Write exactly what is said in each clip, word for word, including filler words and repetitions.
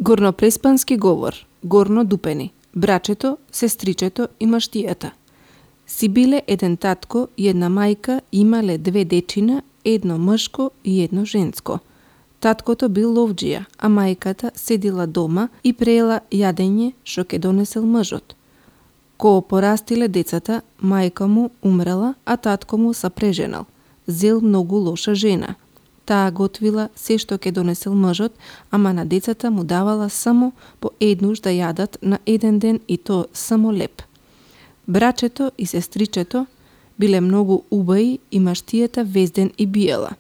Горнопреспански говор, горно дупени, брачето, сестричето и маштијата. Си биле еден татко и една мајка, имале две дечина, едно мшко и едно женско. Таткото бил ловџија, а мајката седила дома и преела јадење што ке донесел мжот. Кога порастиле децата, мајка му умрела, а татко му се преженал. Зел многу лоша жена. Таа готвила се што ке донесел мжот, ама на децата му давала само по еднуш да јадат на еден ден и то само леп. Брачето и сестричето биле многу убави и маштијата везден и биела.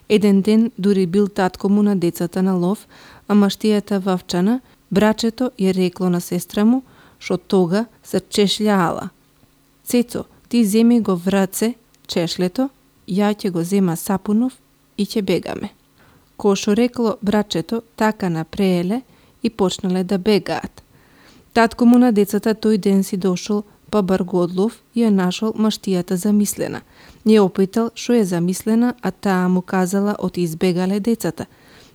Еден ден дури бил татко му на децата на лов, а маштијата вавчана, брачето ја рекло на сестра му, што тога се чешљаала. Цецо, ти земи го враце чешлето, ја ќе го зема сапунов и ќе бегаме. Ко шо рекло брачето, така напрееле и почнале да бегаат. Татко му на децата тој ден си дошол, па бар го одлов и ја нашол маштијата замислена. Ја опитал шо е замислена, а таа му казала оти избегале децата.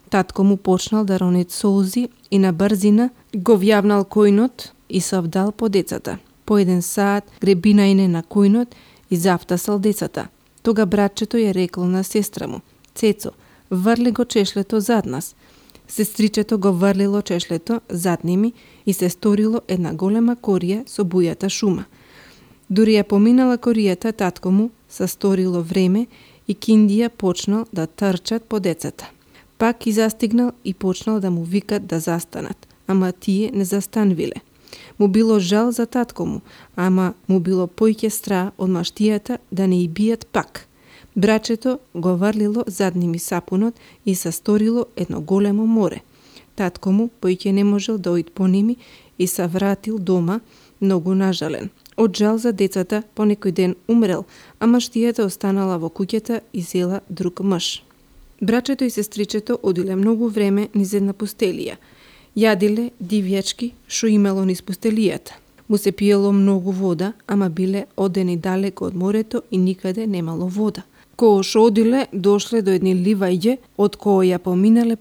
Татко му почнал да рони солзи и на брзина го вјавнал којнот и се вдал по децата. По еден саат гребинајне на којнот и завтасал децата. Тога братчето ја рекло на сестра му: Цецо, врли го чешлето зад нас. Сестричето го врлило чешлето зад ними и се сторило една голема корија со бујата шума. Дури ја поминала коријата, татко му се сторило време и киндија почнал да трчат по децата. Пак и застигнал и почнал да му викат да застанат, ама тие не застанвиле. Му било жал за татко му, ама му било појќе страх од маштијата да не и бијат пак. Брачето го врлило зад ними сапунот и се сторило едно големо море. Татко му појќе не можел да оид по ними и се вратил дома многу нажален. Од жал за децата по некој ден умрел, а маштијата останала во куќата и зела друг мж. Брачето и сестричето одиле многу време низ една пустелија. Јадиле дивјачки шо имало низ пустелијата. Му се пиело многу вода, ама биле одени далеко од морето и никаде немало вода. Кога шо одиле, дошле до едни ливајѓе, од кои ја поминале